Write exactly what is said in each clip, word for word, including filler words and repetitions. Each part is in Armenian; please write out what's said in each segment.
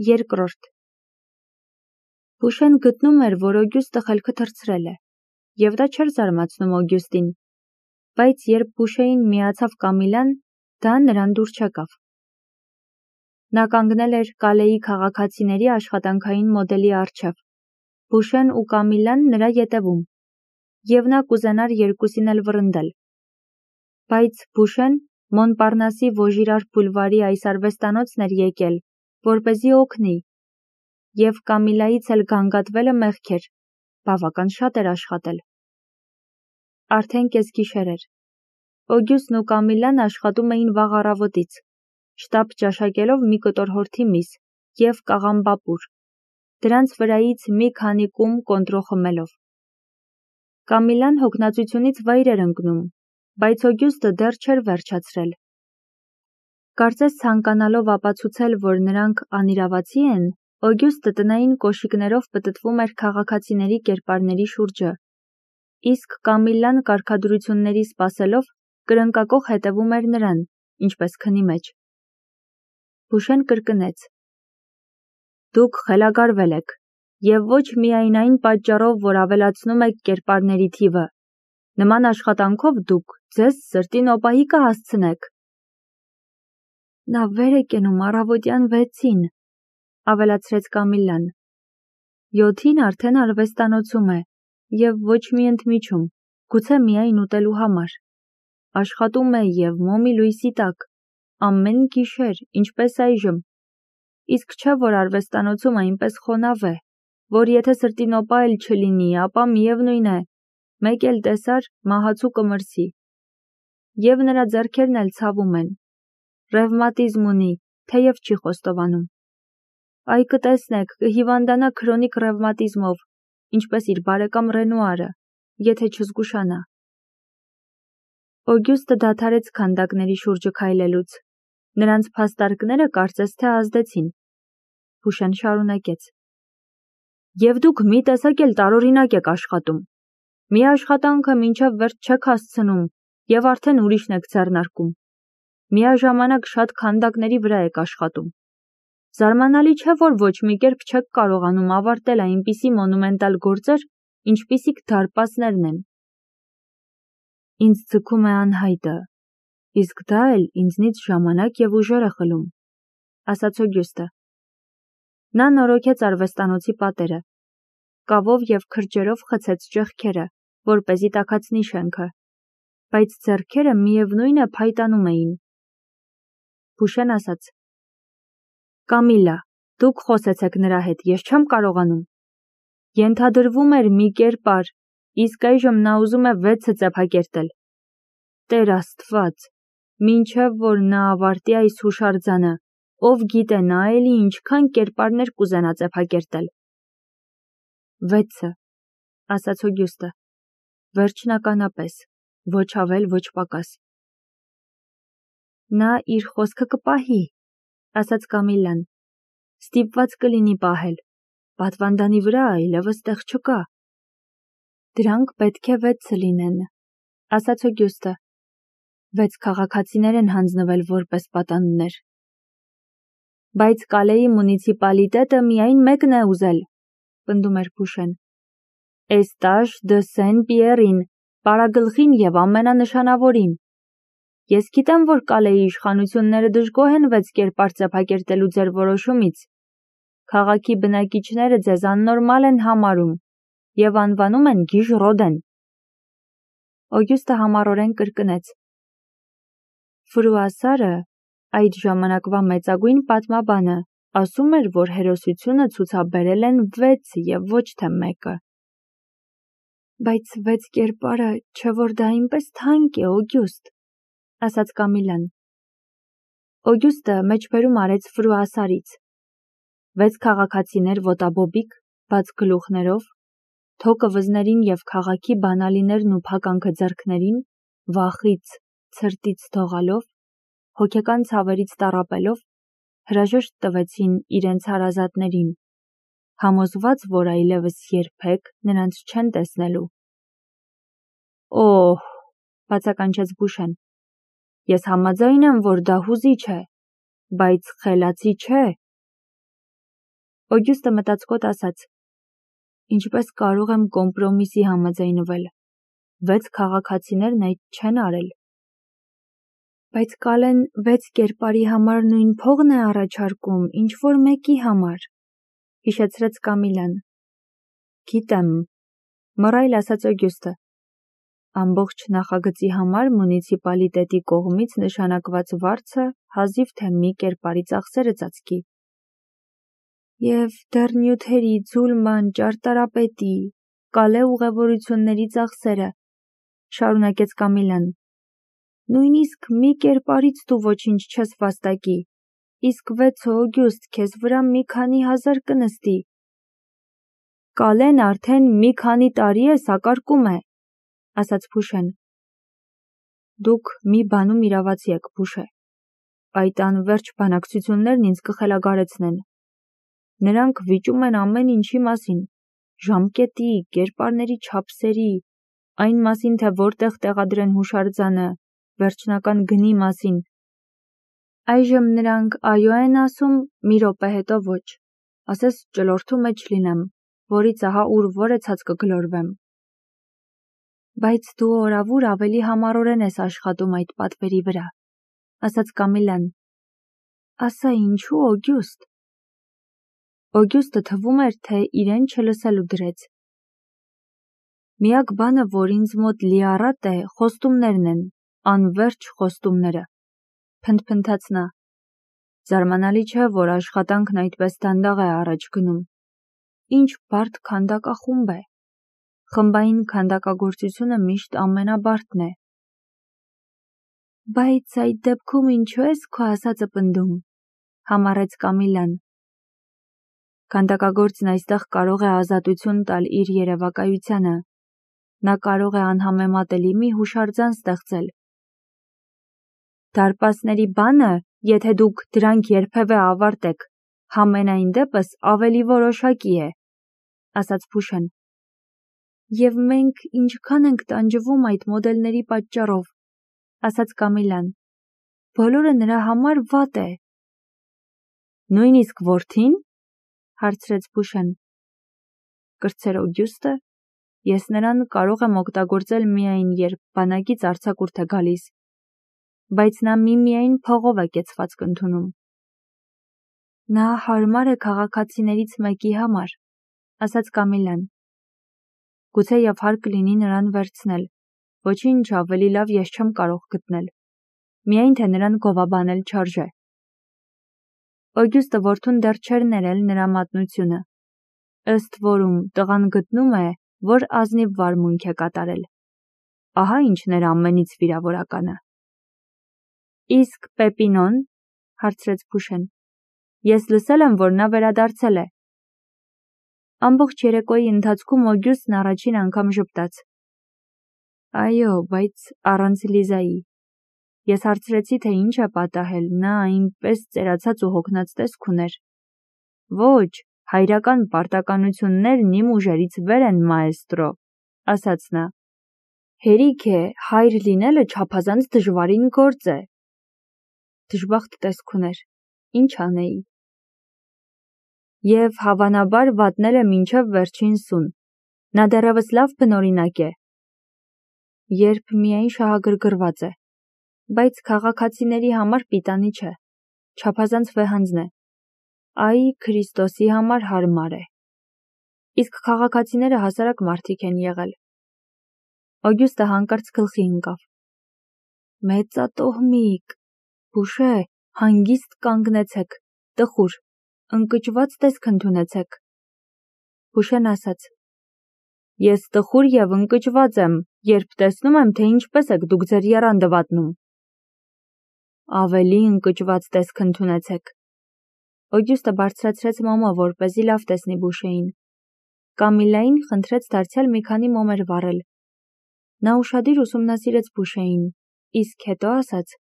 Երկրորդ Բուշեն գտնում էր, որ Օգյուստը խելքը թռցրել է, և դա չէր զարմացնում Օգյուստին, բայց երբ Բուշեին միացավ Կամիլան, դա նրան դուր չեկավ։ Նա կանգնել էր Կալեի քաղաքացիների աշխատանքային մոդելի առջև, Բուշեն ու Կամիլան նրա ետևում, և նա կուզենար երկուսին էլ վռնդել։ Բայց Բուշեն Մոնպարնասի Վոժիրար բուլվարի այս արվեստանոցն էր եկել, որպեսզի օգնի, և Կամիլայից էլ գանգատվելը մեղք էր, բավական շատ էր աշխատել։ Արդեն կեսգիշեր էր։ Օգյուստն ու Կամիլան աշխատում էին վաղ առավոտից, շտապ ճաշակելով մի կտոր հորթի միս և կաղամբապուր, դրանց վրայից մի քանի կում կոնտրո խմելով։ Կամիլան հոգնածությունից վայր էր ընկնում, բայց Օգյուստը դեռ չէր վերջացրել։ Կարծես ցանկանալով ապացուցել, որ նրանք անիրավացի են, Օգյուստը տնային կոշիկներով պտտվում էր քաղաքացիների կերպարների շուրջը, իսկ Կամիլան կարգադրությունների սպասելով կրնկակոխ հետևում էր նրան, ինչպես քնի մեջ։ Բուշեն կրկնեց. Դուք խելագարվել եք, և ոչ միայն այն պատճառով, որ ավելացնում եք կերպարների թիվը, նման աշխատանքով դուք ձեզ սրտի նոպայի կհասցնեք։ Նա վեր է կենում առավոտյան վեցին, ավելացրեց Կամիլան։ Յոթին արդեն արվեստանոցում է, և ոչ մի ընդմիջում, գուցե միայն ուտելու համար։ Աշխատում է և մոմի լույսի տակ, ամեն գիշեր, ինչպես այժմ, իսկ չէ, որ արվեստանոցում այնպես խոնավ է, որ եթե սրտի նոպա էլ չլինի, ապա միևնույն է, մեկ էլ տեսար մահացու կմրսի։ Եվ նրա ձեռքերն էլ ցավում են, ռևմատիզմ ունի, թեև չի խոստովանում։ Այ կտեսնեք, կհիվանդանա քրոնիկ ռևմատիզմով, ինչպես իր բարեկամ Ռենուարը, եթե չզգուշանա։ Օգյուստը դադարեց քանդակների շուրջը քայլելուց, նրանց փաստարկները կարծես թե ազդեցին։ Բուշեն շարունակեց. Եվ դուք մի տեսակ էլ տարօրինակ եք աշխատում։ Մի աշխատանքը մինչև վերջ չեք հասցնում, և արդեն ուրիշն եք ձեռնարկում։ Միաժամանակ շատ քանդակների վրա եք աշխատում։ Զարմանալի չէ, որ ոչ մի կերպ չեք կարողանում ավարտել այնպիսի մոնումենտալ գործեր, ինչպիսիք դարպասներն են։ Ինձ ձգում է անհայտը, իսկ դա էլ ինձնից ժամանակ և ուժեր է խլում, ասաց Օգյուստը։ Նա նորոգեց արվեստանոցի պատերը, կավով և քրջերով խցեց ճեղքերը, որպեսզի տաքացնի շենքը, բայց ձեռքերը միևնույն է փայտանում էին։ Բուշեն ասաց. Կամիլա, դուք խոսեցեք նրա հետ, ես չեմ կարողանում։ Ենթադրվում էր մի կերպար, իսկ այժմ նա ուզում է վեցը ծեփակերտել։ Տեր Աստված, մինչև որ նա ավարտի այս հուշարձանը, ով գիտե նա էլի ինչքան կերպարներ կուզենա ծեփակերտել։ Վեցը, ասաց Օգյուստը, վերջնականապես, ոչ ավել, ոչ պակաս։ Նա իր խոսքը կպահի, ասաց Կամիլան, ստիպված կլինի պահել, պատվանդանի վրա այլևս տեղ չկա։ Դրանք պետք է վեցը լինեն, ասաց Օգյուստը, վեց քաղաքացիներ են հանձնվել որպես պատանուներ։ Բայց Կալեի մունիցիպալիտետը միայն մեկն է ուզել, պնդում էր Բուշեն։ Էստաժ դը Սեն Պիերին, պարագլխին և ամենանշանավորին։ Ես գիտեմ, որ Կալեի իշխանությունները դժգոհ են վեց կերպար ծեփակերտելու ձեր որոշումից։ Քաղաքի բնակիչները ձեզ աննորմալ են համարում և անվանում են գիժ Ռոդեն։ Օգյուստը համառորեն կրկնեց. Ֆրուասարը, այդ ժամանակվա մեծագույն պատմաբանը, ասում էր, որ հերոսությունը ցուցաբերել են վեց և ոչ թե մեկը։ Բայց վեց կերպարը, չէ որ դա այնպես թանկ է, Օգյուստ, ասաց Կամիլան։ Օգյուստը մեջբերում արեց Ֆրուասարից։ Վեց քաղաքացիներ ոտաբոբիկ, բաց գլուխներով, թոկը վզներին և քաղաքի բանալիներն ու փականքը ձեռքներին, վախից, ցրտից թողալով, հոգեկան ցավերից տառապելով, հրաժեշտ տվեցին իրենց հարազատներին, համոզված, որ այլևս երբեք նրանց չեն տեսնելու։ Օհ, բացականչեց Բուշեն, ես համաձայն եմ, որ դա հուզիչ է, բայց խելացի չէ։ Օգյուստը մտածկոտ ասաց. Ինչպես կարող եմ կոմպրոմիսի համաձայնվել, վեց քաղաքացիներն այդ չեն արել։ Բայց Կալեն վեց կերպարի համար նույն փողն է առաջարկում, ինչ որ մեկի համար, հիշեցրեց Կամիլան։ Գիտեմ, մռայլ ասաց Օգյուստը։ Ամբողջ նախագծի համար մունիցիպալիտետի կողմից նշանակված վարձը հազիվ թե մի կերպարի ծախսերը ծածկի։ Եվ դեռ նյութերի, ձուլման, ճարտարապետի, Կալե ուղևորությունների ծախսերը, շարունակեց Կամիլան։ Նույնիսկ մի կերպարից դու ոչինչ չես վաստակի, իսկ վեցը Օգյուստ քեզ վրա մի քանի հազար կնստի։ Կալեն արդեն մի քանի տարի է սակարկում է, ասաց Փուշեն։ Դուք մի բանում իրավացի եք, Փուշե։ Այդ անվերջ բանակցություններն ինձ կխելագարեցնեն։ Նրանք վիճում են ամեն ինչի մասին, ժամկետի, կերպարների չափսերի, այն մասին, թե որտեղ տեղադրեն հուշարձանը, վերջնական գնի մասին։ Այժմ նրանք այո են ասում, մի րոպե հետո ոչ, ասես ճլորդու մեջ լինեմ, որից ահա ուր որ է ցած կգլորվեմ։ Բայց դու օրավուր ավելի համառորեն ես աշխատում այդ պատվերի վրա, ասաց Կամիլան։ Ասա ինչու Օգյուստ։ Օգյուստը թվում էր, թե իրեն չլսելու դրեց։ Միակ բանը, որ ինձ մոտ լիառատ է, խոստումներն են, անվերջ խոստումները, փնթփնթաց նա։ Զարմանալի չէ, որ աշխատանքն այդպես դանդաղ է առաջ գնում։ Ինչ բարդ քանդակախումբ է։ Խմբային քանդակագործությունը միշտ ամենաբարդն է։ Բայց այդ դեպքում ինչու ես քո ասածը պնդում, համառեց Կամիլան։ Քանդակագործն այստեղ կարող է ազատություն տալ իր երևակայությանը, նա կարող է անհամեմատելի մի հուշարձան ստեղծել։ Դարպասների բանը, եթե դուք դրանք երբևէ ավարտեք, համենայն դեպս ավելի որոշակի է, ասաց Փուշեն։ Եվ մենք ինչքան ենք տանջվում այդ մոդելների պատճառով, ասաց Կամիլան։ Բոլորը նրա համար վատ է։ Նույնիսկ որդին, հարցրեց Փուշեն։ Կրտսեր Օգյուստը, ես նրան կարող եմ օգտագործել միայն երբ բանակից արձակուրդ է գալիս, բայց նա միմիայն փողով է կեցվածք ընդունում։ Նա հարմար է քաղաքացիներից մեկի համար, ասաց Կամիլան։ Գուցեև հարկ լինի նրան վերցնել, ոչինչ ավելի լավ ես չեմ կարող գտնել, միայն թե նրան գովաբանել չարժե։ Օգյուստը որդուն դեռ չէր ներել նրա մատնությունը, ըստ որում տղան գտնում է, որ ազնիվ վարմունք է կատարել։ Ահա ինչն էր ամենից վիրավորականը։ Իսկ Պեպինոն, հարցրեց Փուշեն, ես լսել եմ, որ նա վերադարձել է։ Ամբողջ երեկոյի ընթացքում Օգյուստն առաջին անգամ ժպտաց։ Այո, բայց առանց Լիզայի։ Ես հարցրեցի, թե ինչ է պատահել, նա այնպես ծերացած ու հոգնած տեսք ուներ։ Ոչ, հայրական պարտականություններն իմ ուժերից վեր են, մաեստրո, ասաց նա։ Հերիք է, հայր լինելը չափազանց դժվարին գործ է։ Դժբախտ տեսք ուներ, ինչ անեի։ Եվ հավանաբար վատնել է մինչև վերջին սուն, նա դեռևս լավ բնօրինակ է։ Երբ միայն շահագրգռված է, բայց քաղաքացիների համար պիտանի չէ, չափազանց վեհանձն է, այ Քրիստոսի համար հարմար է։ Իսկ քաղաքացիները հասարակ մարդիկ են եղել։ Օգյուստը հանկարծ գլխի ընկավ։ Մեծատոհմիկ, Փուշե, հանգիստ կանգնեցեք, տխուր, ընկճված տեսք ընդունեցեք։ Փուշեն ասաց. Ես տխուր և ընկճված եմ, երբ տեսնում եմ, թե ինչպես եք դուք ձեր եռանդը վատնում։ Ավելի ընկճված տեսք ընդունեցեք։ Օգյուստը բարձրացրեց մոմը, որպեսզի լավ տեսնի Փուշեին։ Կամիլային խնդրեց դարձյալ մի քանի մոմեր վառել։ Նա ուշադիր ուսումնասիրեց Փուշեին, իսկ հետո ասաց.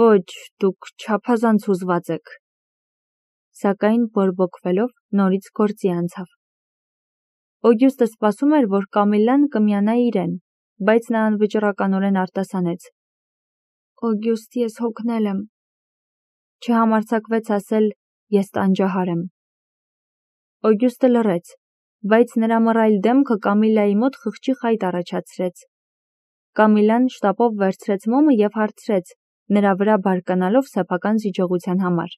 Ոչ, դուք չափազանց հուզված եք։ Սակայն բորբոքվելով նորից գործի անցավ։ Օգյուստը սպասում էր, որ Կամիլան կմիանա իրեն, բայց նա անվճռականորեն արտասանեց. Օգյուստ, ես հոգնել եմ։ Չհամարձակվեց ասել, ես տանջահար եմ։ Օգյուստը լռեց, բայց նրա մռայլ դեմքը Կամիլայի մոտ խղճի խայտ առաջացրեց։ Կամիլան շտապով վերցրեց մոմը և հարցրեց, նրա վրա բարկանալով սեփական զիջողության համար։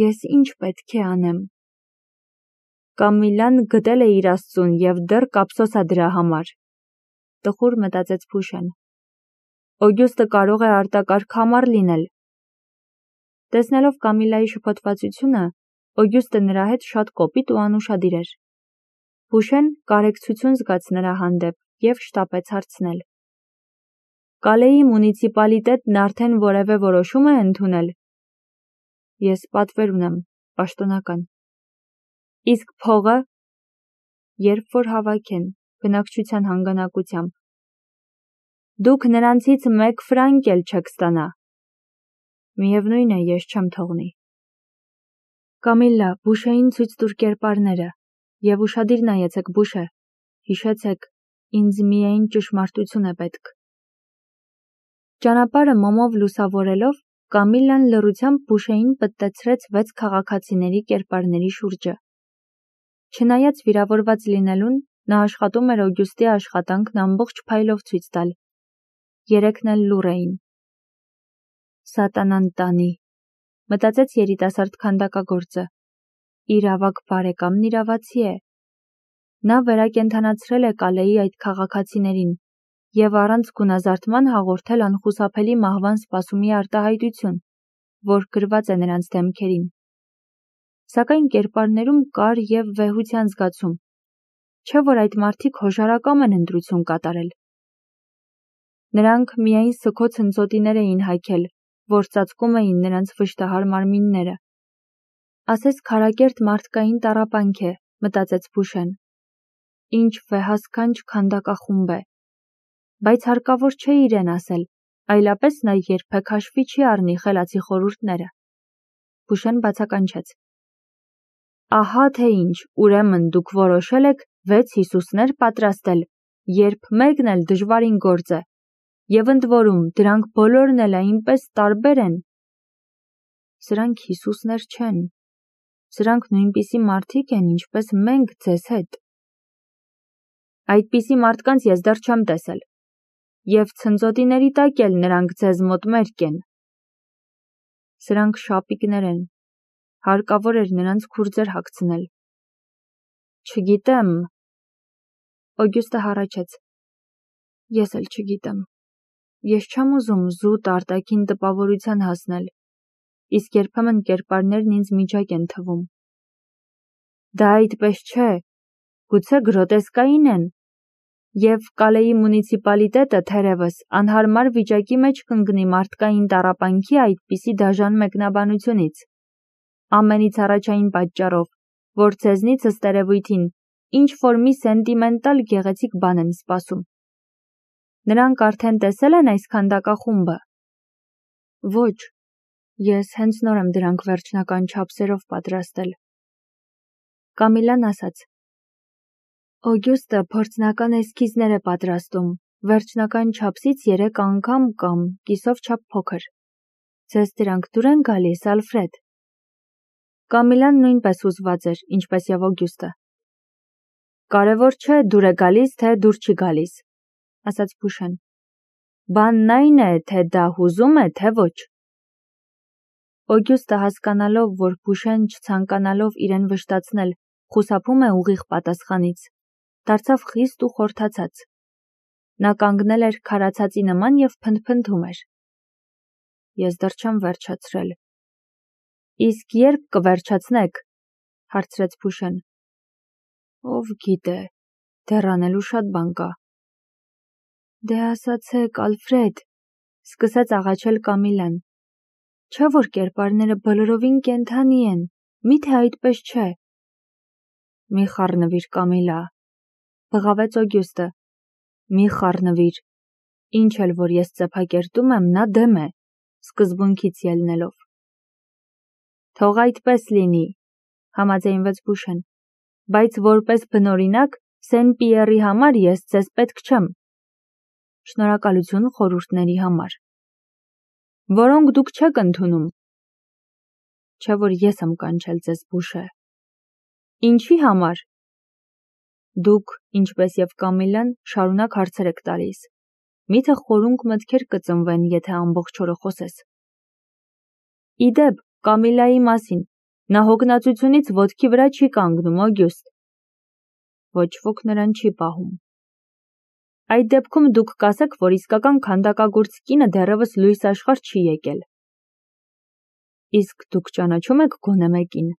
Ես ինչ պետք է անեմ։ Կամիլան գտել է իր Աստծուն և դեռ կապսոս է դրա համար։ Տխուր մտածեց Փուշեն։ Օգյուստը կարող է արտակարգ համառ լինել։ Տեսնելով Կամիլայի շփոթվածությունը, Օգյուստը նրա հետ շատ կոպիտ ու անուշադիր էր։ Փուշեն կարեկցություն զգաց նրա հանդեպ և շտապեց հարցնել. Կալեի մունիցիպալիտետն արդեն որևէ որոշում է ընդունել։ Ես պատվեր ունեմ, պաշտոնական։ Իսկ փողը, երբ որ հավաքեն, բնակչության հանգանակությամբ։ Դուք նրանցից մեկ ֆրանկ էլ չեք ստանա։ Միևնույն է, ես չեմ թողնի։ Կամիլլա, Բուշեին ցույց տուր կերպարները, և ուշադիր նայեցեք Բուշե, հիշեցեք, ինձ միայն ճշմարտություն է պետք։ Ճանապարհը մոմով լուսավորելով, Կամիլլան լռությամբ Բուշեին պտտեցրեց վեց քաղաքացիների կերպարների շուրջը։ Չնայած վիրավորված լինելուն, նա աշխատում էր Օգյուստի աշխատանքն ամբողջ փայլով ցույց տալ։ Երեքն էլ լուռ էին։ Սատանան տանի, մտածեց երիտասարդ քանդակագործը։ Իր ավագ բարեկամն իրավացի է։ Նա վերակենդանացրել է Կալեի այդ քաղաքացիներին և առանց գունազարդման հաղորդել անխուսափելի մահվան սպասումի արտահայտություն, որ գրված է նրանց դեմքերին։ Սակայն կերպարներում կար և վեհության զգացում, չէ՞ որ այդ մարդիկ հոժարակամ են ընտրություն կատարել։ Նրանք միայն սգոց հնձոտիներ էին հայքել, որ ծածկում էին նրանց վշտահար մարմինները։ Ասես քարակերտ մարդկային տառապանք է, մտածեց Փուշեն։ Ինչ վեհասքանչ քանդակախումբ է։ Բայց հարկավոր չէ իրեն ասել, այլապես նա երբեք հաշվի չի առնի խելացի խորհուրդները։ Փուշեն բացականչեց. Ահա թե ինչ, ուրեմն դուք որոշել եք վեց Հիսուսներ պատրաստել, երբ մեկն էլ դժվարին գործ է, և ընդ որում դրանք բոլորն էլ այնպես տարբեր են։ Սրանք Հիսուսներ չեն։ Սրանք նույնպիսի մարդիկ են, ինչպես մենք ձեզ հետ։ Այդպիսի մարդկանց ես դեռ չեմ տեսել։ Եվ ցնծոտիների տակ էլ նրանք ձեզ մոտ մերկ են։ Սրանք շապիկներ են։ Հարկավոր էր նրանց քուրձեր հագցնել։ Չգիտեմ։ Օգյուստը հառաչեց։ Ես էլ չգիտեմ։ Ես չեմ ուզում զուտ արտաքին տպավորության հասնել, իսկ երբեմն կերպարներն ինձ միջակ են թվում։ Դա այդպես չէ, գուցե գրոտեսկային են, և Կալեի մունիցիպալիտետը թերևս անհարմար վիճակի մեջ կընկնի մարդկային տառապանքի այդպիսի դաժան մեկնաբանությունից։ Ամենից առաջային պատճառով, որ ձեզնից ըստ երևույթին ինչ-որ մի սենտիմենտալ գեղեցիկ բան են սպասում։ Նրանք արդեն տեսել են այս քանդակախումբը։ Ոչ, ես հենց նոր եմ դրանք վերջնական չափսերով պատրաստել։ Կամիլան ասաց. Օգյուստը փորձնական էսքիզներ է պատրաստում, վերջնական չափսից երեք անգամ կամ կիսով չափ փոքր։ Ձեզ դրանք դուր են գալիս, Ալֆրեդ։ Կամիլան նույնպես հուզված էր, ինչպես և Օգյուստը։ Կարևոր չէ դուր է գալիս, թե դուր չի գալիս, ասաց Փուշեն։ Բանն այն է, թե դա հուզում է, թե ոչ։ Օգյուստը հասկանալով, որ Փուշեն չցանկանալով իրեն վշտացնել, խուսափում է ուղիղ պատասխանից, դարձավ խիստ ու խորթացած։ Նա կանգնել էր քարացածի նման և փնթփնթում էր։ Ես դեռ չեմ վերջացրել։ Իսկ երբ կվերջացնեք, հարցրեց Փուշեն։ Ով գիտե, դեռ անելու շատ բան կա։ Դե ասացեք, Ալֆրեդ, սկսեց աղաչել Կամիլան։ Չէ՞ որ կերպարները բոլորովին կենդանի են, միթե այդպես չէ։ Մի խառնվիր, Կամիլա, բղավեց Օգյուստը։ Մի խառնվիր։ Ինչ էլ որ ես ծեփակերտում եմ, նա դեմ է, սկզբունքից ելնելով։ Թող այդպես լինի, համաձայնվեց Փուշեն, բայց որպես բնօրինակ Սեն-Պիերի համար ես ձեզ պետք չեմ։ Շնորհակալություն խորհուրդների համար, որոնք դուք չեք ընդունում։ Չէ որ ես եմ կանչել ձեզ, Փուշե։ Ինչի համար։ Դուք, ինչպես և Կամիլան, շարունակ հարցեր եք տալիս։ Միթե խորունկ մտքեր կծնվեն, եթե ամբողջ օրը խոսես։ Իդեպ, Կամիլայի մասին, նա հոգնածությունից ոտքի վրա չի կանգնում, Օգյուստ։ Ոչ ոք նրան չի պահում։ Այդ դեպքում դուք կասեք, որ իսկական քանդակագործ կինը դեռևս լույս աշխարհ չի եկել։ Իսկ դուք ճանաչում եք գոնե մեկին։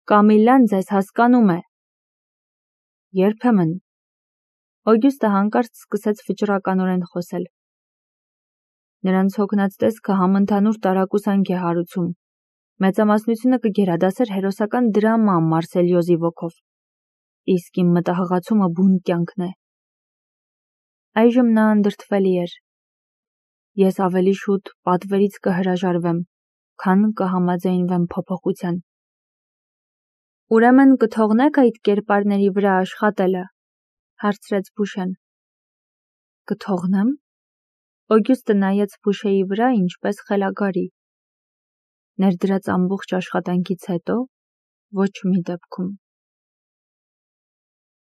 Կամիլան ձեզ հասկանում է։ Երբեմն։ Օգյուստը հանկարծ սկսեց վճռականորեն խոսել։ Նրանց հոգնած տեսքը համընդհանուր տարակուսանք է հարուցում։ Մեծամասնությունը կգերադասեր հերոսական դրամա Մարսելիոզի ոգով։ Իսկ իմ մտահղացումը բուն կյանքն է։ Այժմ նա անդրդվելի էր։ Ես ավելի շուտ պատվերից կհրաժարվեմ, քան կհամաձայնվեմ փոփոխության։ Ուրեմն կթողնեք այդ կերպարների վրա աշխատելը, հարցրեց Բուշեն։ Կթողնեմ։ Օգյուստը նայեց Բուշեի վրա ինչպես խելագարի։ Ներդրած ամբողջ աշխատանքից հետո ոչ մի դեպքում։